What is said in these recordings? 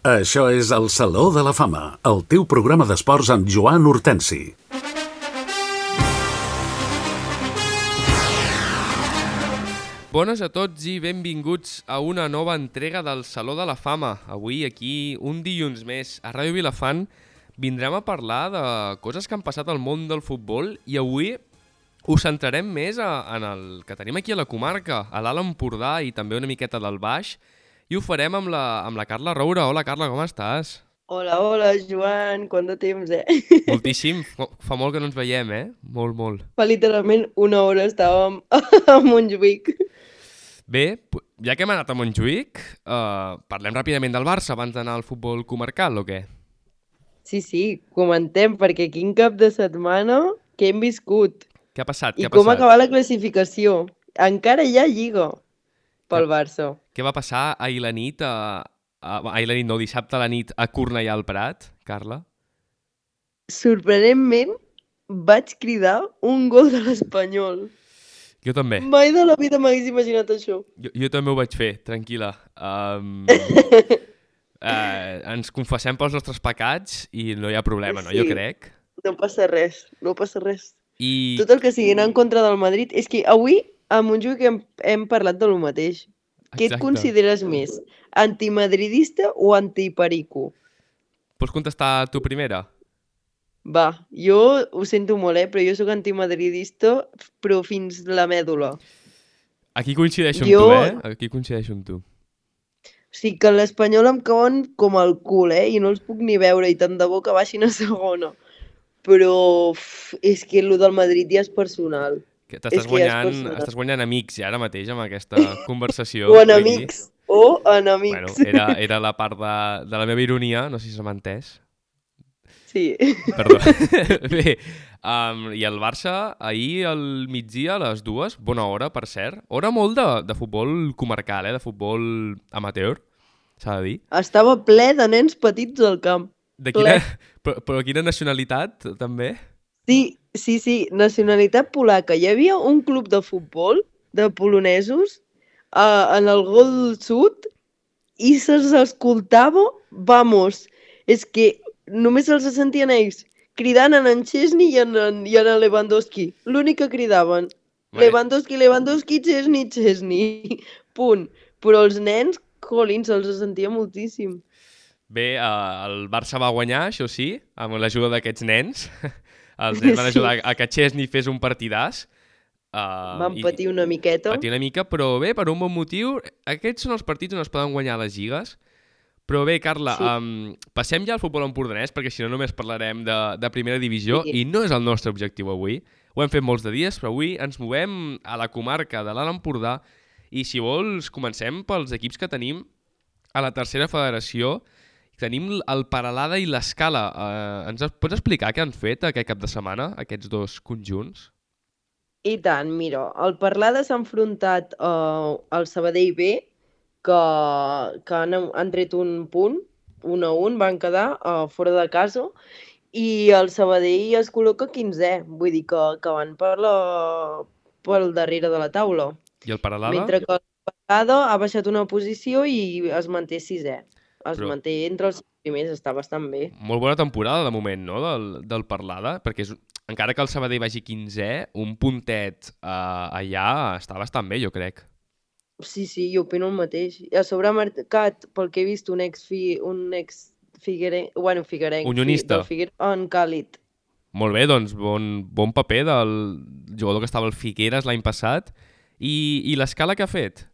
Això és el Saló de la Fama, el teu programa d'esports amb Joan Hortensi. Bones a tots i benvinguts a una nova entrega del Saló de la Fama. Avui, aquí, un dilluns més, a Ràdio Vilafant, vindrem a parlar de coses que han passat al món del futbol i avui us centrarem més en el que tenim aquí a la comarca, a l'Alt Empordà i també una miqueta del Baix, i ho farem amb la Carla Roura. Hola, Carla, com estàs? Hola, Joan, quant de temps, Moltíssim, fa molt que no ens veiem, Molt, molt. Fa literalment una hora estàvem a Montjuïc. Bé, ja que hem anat a Montjuïc, parlem ràpidament del Barça abans d'anar al futbol comarcal, o què? Sí, comentem, perquè quin cap de setmana que hem viscut. Què ha passat? I com ha acabat la classificació. Encara hi ha lliga pel Barça. Què va passar ahir la nit, dissabte a la nit a Cornellà al Prat, Carla? Sorprenentment, vaig cridar un gol de l'Espanyol. Jo també. Mai de la vida m'hagués imaginat això. Jo també ho vaig fer, tranquil·la. Ens confessem pels nostres pecats i no hi ha problema, no? Jo crec. No passa res. I... Tot el que sigui anar en contra del Madrid... És que avui a Montjuïc hem parlat de lo mateix. Què et consideres més? Antimadridista o antiperico? Pots contestar tu primera? Va, jo ho sento molt, però jo sóc antimadridista, però fins la mèdula. Aquí coincideixo amb tu, Aquí coincideixo amb tu. O sigui que l'Espanyol em cauen com el cul, i no els puc ni veure, i tant de bo que baixin a segona. Però és que el del Madrid ja és personal. Estàs guanyant amics ja ara mateix amb aquesta conversació. O enemics. Bueno, era la part de la meva ironia, no sé si se m'ha entès. Sí. Perdó. Bé, i el Barça ahir al migdia a les 2, bona hora, per cert. Hora molt de futbol comarcal, de futbol amateur, s'ha de dir. Estava ple de nens petits al camp. Però quina nacionalitat, també? Sí, nacionalitat polaca. Hi havia un club de futbol de polonesos en el gol sud i se'ls escoltava, és que només se'ls sentien ells cridant en Chesney i en Lewandowski. L'únic que cridaven. Lewandowski, Chesney. Punt. Però els nens, se'ls sentia moltíssim. Bé, el Barça va guanyar, això sí, amb l'ajuda d'aquests nens. Els nens van ajudar a que Chesney fes un partidàs. Van patir una miqueta. Però bé, per un bon motiu, aquests són els partits on es poden guanyar les lligues. Però bé, Carla, passem ja al futbol empordanès, perquè si no només parlarem de primera divisió, i no és el nostre objectiu avui. Ho hem fet molts de dies, però avui ens movem a la comarca de l'Alt Empordà i, si vols, comencem pels equips que tenim a la tercera federació. Tenim el Peralada i l'Escala. Ens pots explicar què han fet aquest cap de setmana, aquests dos conjunts? I tant, mira, el Peralada s'ha enfrontat al Sabadell B, que han tret un punt, 1-1, van quedar fora de casa, i el Sabadell es col·loca 15è, vull dir que van pel darrere de la taula. I el Peralada? Mentre que el Peralada ha baixat una posició i es manté 6è. Manté entre els primers, està bastant bé. Molt bona temporada, de moment, no?, del Peralada, perquè encara que el Sabadell vagi 15è, un puntet allà està bastant bé, jo crec. Sí, jo opino el mateix. A sobre ha marcat, pel que he vist, un ex figuerenc, unionista, en Càlid. Molt bé, doncs bon paper del jugador que estava al Figueres l'any passat. I l'Escala què ha fet,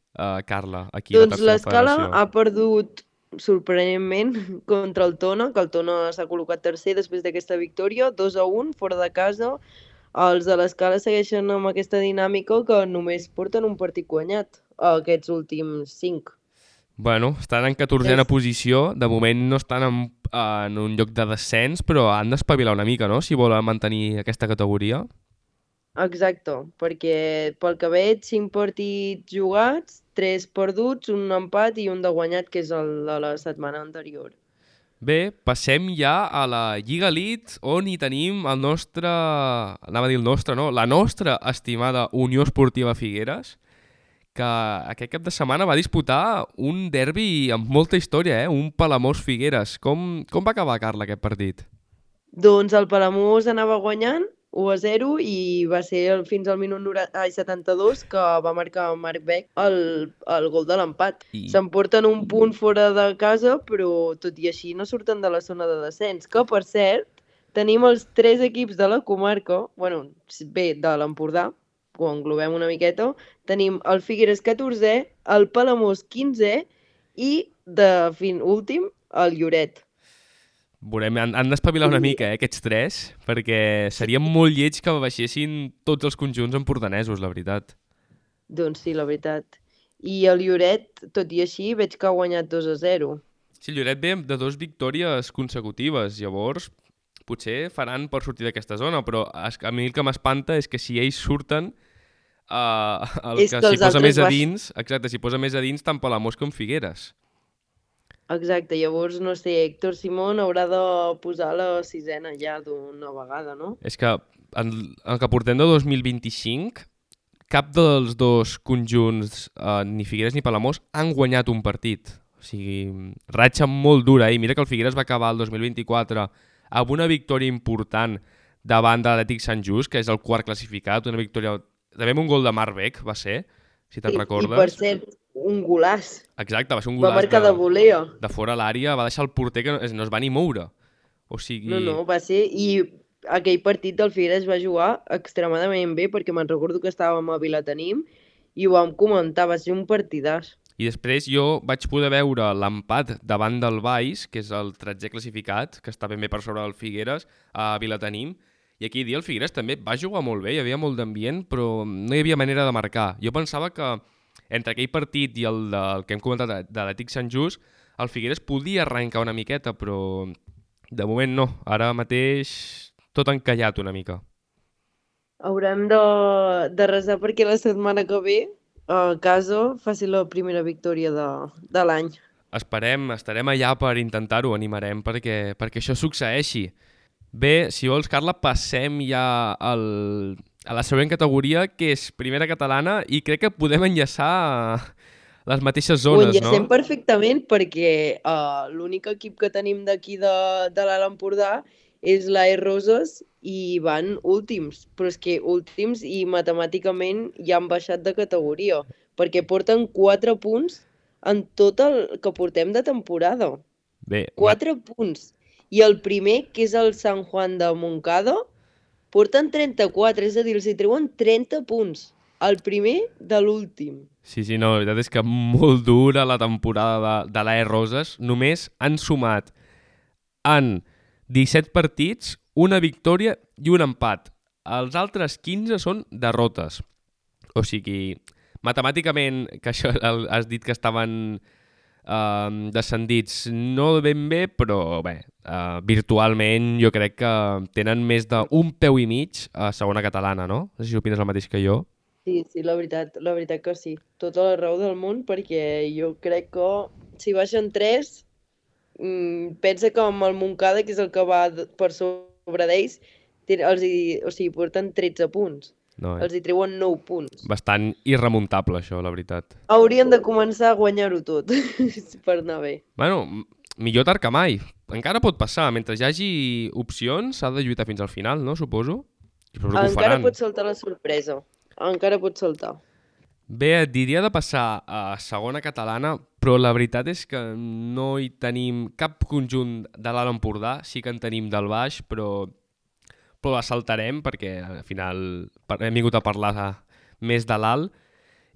Carla, aquí a la tercera federació? Doncs l'Escala ha perdut sorprenentment contra el Tona, que el Tona s'ha col·locat tercer després d'aquesta victòria, 2-1, fora de casa. Els de l'Escala segueixen amb aquesta dinàmica que només porten un partit guanyat aquests últims 5. Bueno, estan en 14a posició, de moment no estan en un lloc de descens, però han d'espavilar una mica, no?, si volen mantenir aquesta categoria. Exacte, perquè pel que veig 5 partits jugats, 3 perduts, un empat i un de guanyat, que és el de la setmana anterior. Bé, passem ja a la Lliga Elite, on hi tenim la nostra estimada Unió Esportiva Figueres, que aquest cap de setmana va disputar un derbi amb molta història, un Palamós-Figueres. Com va acabar, Carla, aquest partit? Doncs el Palamós anava guanyant 1-0 i va ser fins al minut 72 que va marcar Marc Beck el gol de l'empat. S'emporten un punt fora de casa, però tot i així no surten de la zona de descens, que per cert tenim els 3 equips de la comarca, de l'Empordà, ho englobem una miqueta, tenim el Figueres 14è, el Palamós 15è i, últim, el Lloret. Veurem, han d'espavilar una mica, aquests 3, perquè seria molt lleig que baixessin tots els conjunts empordanesos, la veritat. Doncs sí, la veritat. I el Lloret, tot i així, veig que ha guanyat 2-0. Sí, el Lloret ve de 2 victòries consecutives, llavors potser faran per sortir d'aquesta zona, però a mi el que m'espanta és que si ells surten, si posa més a dins, exacte, si posa més a dins tant Palamós com Figueres. Exacte, llavors, no sé, Héctor Simón haurà de posar la 6ena ja d'una vegada, no? És que en el que portem de 2025, cap dels dos conjunts, ni Figueres ni Palamós, han guanyat un partit. O sigui, ratxa molt dura. I mira que el Figueres va acabar el 2024 amb una victòria important davant de l'Atlètic Sant Just, que és el quart classificat, una victòria... També amb un gol de Marc Beck, va ser, si te'n recordes. I per cert, un golàs. Exacte, va ser un golàs. Va marcar de volea. De fora a l'àrea, va deixar el porter que no es va ni moure. O sigui... No, va ser... I aquell partit del Figueres va jugar extremadament bé, perquè me'n recordo que estàvem a Vilatenim i ho vam comentar, va ser un partidàs. I després jo vaig poder veure l'empat davant del Baix, que és el 13è classificat, que està ben bé per sobre del Figueres, a Vilatenim, i aquell dia el Figueres també va jugar molt bé, hi havia molt d'ambient, però no hi havia manera de marcar. Jo pensava que entre aquell partit i el que hem comentat de l'Atlètic Sant Just, el Figueres podia arrencar una miqueta, però de moment no. Ara mateix tot encallat una mica. Haurem de resar perquè la setmana que ve a casa faci la primera victòria de l'any. Esperem, estarem allà per intentar-ho, animarem perquè això succeeixi. Bé, si vols, Carla, passem ja a la següent categoria, que és Primera Catalana, i crec que podem enllaçar les mateixes zones, no? Ho enllacem perfectament perquè l'únic equip que tenim d'aquí de l'Alt Empordà és l'AE Roses i van últims, però és que últims i matemàticament ja han baixat de categoria, perquè porten 4 punts en tot el que portem de temporada. Bé, 4 punts. I el primer, que és el San Juan de Montcada, porten 34, és a dir, els hi treuen 30 punts. El primer de l'últim. Sí, no, la veritat és que molt dura la temporada de l'AE Roses. Només han sumat en 17 partits, una victòria i un empat. Els altres 15 són derrotes. O sigui, matemàticament, que això has dit que estaven descendits no ben bé, però bé, virtualment jo crec que tenen més d'un peu i mig a segona catalana, no? No sé si opines el mateix que jo. Sí, la veritat que sí. Tota la raó del món, perquè jo crec que si baixen 3, pensa que amb el Montcada, que és el que va per sobre d'ells, porten 13 punts. No, els hi treuen 9 punts. Bastant irremuntable, això, la veritat. Haurien de començar a guanyar-ho tot, per anar bé. Bueno, millor tard que mai. Encara pot passar. Mentre hi hagi opcions, s'ha de lluitar fins al final, no? Suposo. Encara pot saltar la sorpresa. Encara pot saltar. Bé, et diria de passar a segona catalana, però la veritat és que no hi tenim cap conjunt de l'Alt Empordà. Sí que en tenim del Baix, però la saltarem perquè al final hem vingut a parlar més de l'Alt.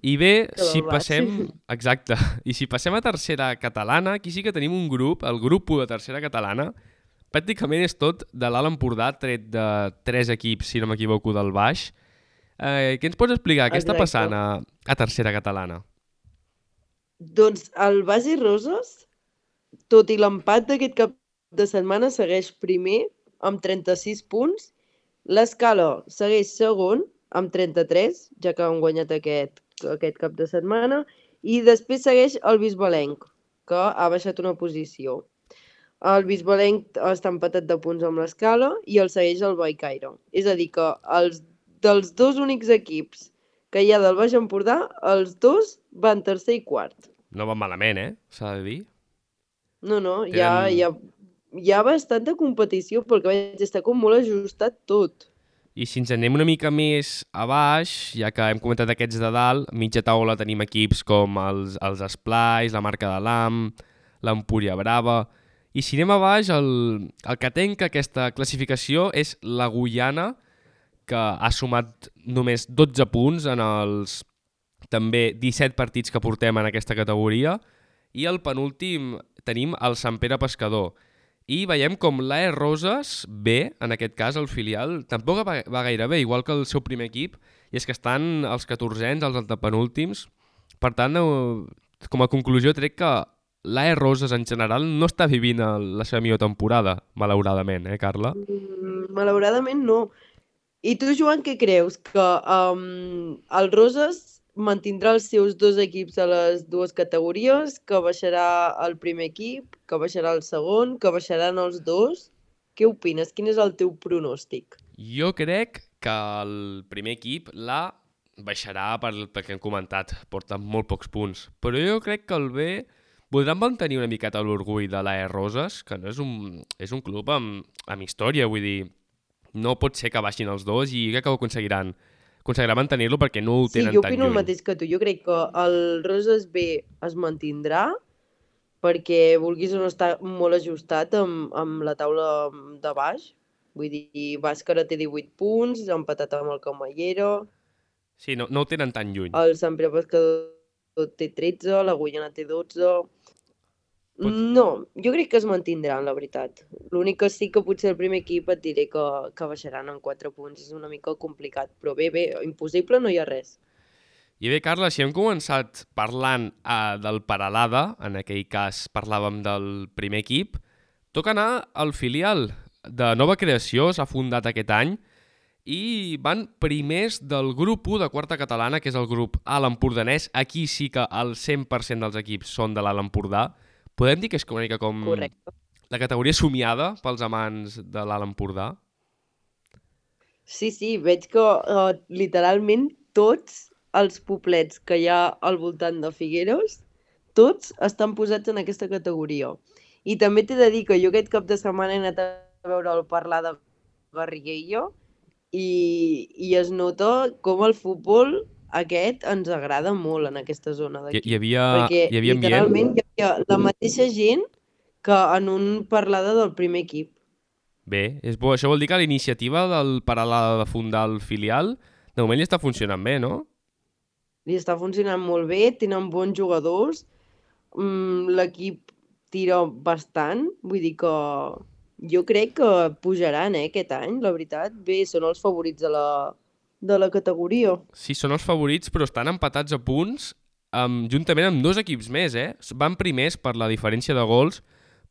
I bé, si passem... Exacte. I si passem a tercera catalana, aquí sí que tenim un grup, el grup 1 de tercera catalana. Pràcticament és tot de l'Alt Empordà, tret de 3 equips, si no m'equivoco, del Baix. Què ens pots explicar? Què està passant a tercera catalana? Doncs el Baix i Roses, tot i l'empat d'aquest cap de setmana, segueix primer amb 36 punts. L'Escala segueix segon amb 33, ja que han guanyat aquest cap de setmana, i després segueix el Bisbalenc, que ha baixat una posició. El Bisbalenc està empatat de punts amb l'Escala i el segueix el Bellcaire. És a dir, que dels 2 únics equips que hi ha del Baix Empordà, els dos van tercer i quart. No va malament, s'ha de dir. No, Tenen- hi ha bastanta competició perquè vaig estar com molt ajustat tot. I si ens anem una mica més a baix, ja que hem comentat aquests de dalt, mitja taula tenim equips com els Esplais, la Marca de l'Am, l'Empúria Brava... I si anem a baix, el que tenca aquesta classificació és la Guyana, que ha sumat només 12 punts en els també 17 partits que portem en aquesta categoria, i el penúltim tenim el Sant Pere Pescador. I veiem com l'AE Roses B, en aquest cas el filial, tampoc va gaire bé, igual que el seu primer equip, i és que estan els 14ens, els antepenúltims. Per tant, com a conclusió trec que l'AE Roses en general no està vivint la seva millor temporada, malauradament, Carla? Malauradament no. I tu, Joan, què creus? Que el Roses mantindrà els seus dos equips a les dues categories, que baixarà el primer equip, que baixarà el segon, que baixaran els dos? Què opines? Quin és el teu pronòstic? Jo crec que el primer equip baixarà perquè hem comentat, porta molt pocs punts. Però jo crec que el B voldran mantenir una miqueta l'orgull de l'AE Roses, que no és un club amb història, vull dir, no pot ser que baixin els dos i crec que ho aconseguiran mantenir-lo perquè no ho tenen tan lluny. Sí, jo opino el mateix que tu. Jo crec que el Roses B es mantindrà perquè vulguis o no està molt ajustat amb la taula de baix. Vull dir, Bàscara té 18 punts, empatat amb el Camallero. Sí, no ho tenen tan lluny. El Sant Pere Pescador té 13, la Guyana té 12... No, jo crec que es mantindran, la veritat. L'únic que sí que potser el primer equip et diré que baixaran en 4 punts. És una mica complicat, però bé, impossible no hi ha res. I bé, Carla, si hem començat parlant del Peralada, en aquell cas parlàvem del primer equip, toca anar al filial de nova creació, s'ha fundat aquest any, i van primers del grup 1 de quarta catalana, que és el grup A l'Empordanès. Aquí sí que el 100% dels equips són de l'Alt Empordà. Podem dir que és una mica com Correcte. La categoria somiada pels amants de l'Alt Empordà? Sí, veig que literalment tots els poblets que hi ha al voltant de Figueres, tots estan posats en aquesta categoria. I també t'he de dir que jo aquest cap de setmana he anat a veure el parlar de Garriguella i es nota com el futbol aquest ens agrada molt en aquesta zona d'aquí. Hi havia literalment hi havia la mateixa gent que en un parlada del primer equip. Bé, és bo. Això vol dir que la iniciativa del Peralada de fundar el filial de moment li està funcionant bé, no? Li està funcionant molt bé, tenen bons jugadors, l'equip tira bastant, vull dir que jo crec que pujaran aquest any, la veritat. Bé, són els favorits de la categoria. Sí, són els favorits, però estan empatats a punts juntament amb dos equips més, Van primers per la diferència de gols,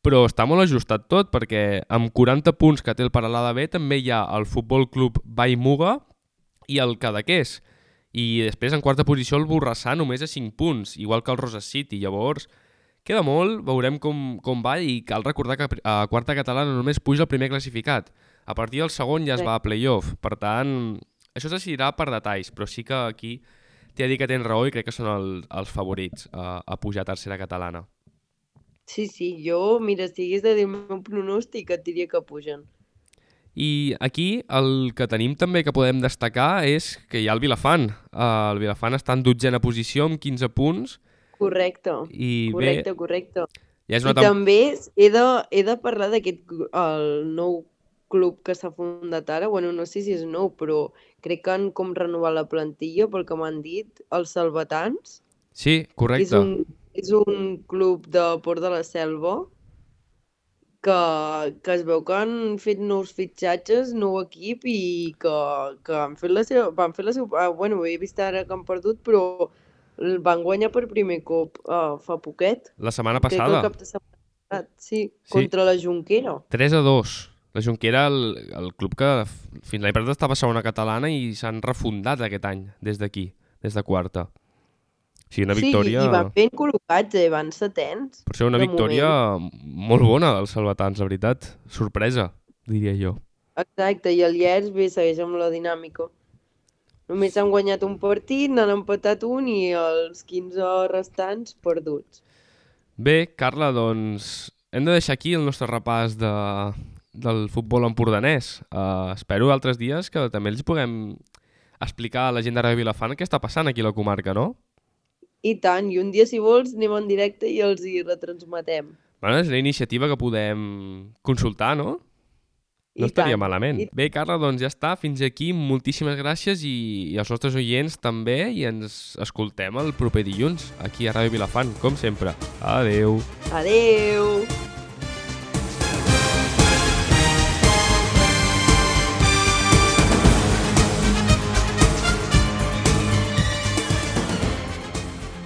però està molt ajustat tot, perquè amb 40 punts que té el Peralada B també hi ha el Futbol Club Vallmuga i el Cadaqués. I després en quarta posició el Borrassà només a 5 punts, igual que el Roses City. Llavors, queda molt, veurem com va, i cal recordar que a quarta catalana només puja el primer classificat. A partir del segon ja es va a playoff. Per tant, això es decidirà per detalls, però sí que aquí t'he de dir que tens raó i crec que són els favorits a pujar a tercera catalana. Sí, jo, mira, si hagués de dir el meu pronòstic, et diria que pugen. I aquí el que tenim també que podem destacar és que hi ha el Vilafant. El Vilafant està en 12a posició amb 15 punts. Correcte. Correcte. Ja és I també he de parlar d'aquest el nou club que s'ha fundat ara. Bueno, no sé si és nou, però crec que han com renovat la plantilla, pel que m'han dit, els Salvatans. Sí, correcte. És un club de Port de la Selva que es veu que han fet nous fitxatges, nou equip, i que van fer la seva... Bueno, he vist ara que han perdut, però van guanyar per primer cop fa poquet. La setmana passada. Crec que el cap de setmana, sí, contra la Jonquera. 3-2. La Jonquera, el club que fins l'any passat estava a segona catalana i s'han refundat aquest any, des d'aquí, des de quarta. Sí, una victòria... Sí, i van ben col·locats, van setens. Per ser una victòria molt bona dels salvatans, la veritat. Sorpresa, diria jo. Exacte, i el Llers bé segueix amb la dinàmica. Només han guanyat un partit, n'han empatat un i els 15 restants perduts. Bé, Carla, doncs hem de deixar aquí el nostre repàs del futbol empordanès. Espero altres dies que també els puguem explicar a la gent de Ràdio Vilafant què està passant aquí a la comarca, no? I tant, i un dia, si vols, anem en directe i els hi retransmetem. Bueno, és una iniciativa que podem consultar, no? No estaria malament. Bé, Carla, doncs ja està. Fins aquí. Moltíssimes gràcies i els nostres oients també i ens escoltem el proper dilluns aquí a Ràdio Vilafant, com sempre. Adeu. Adeu!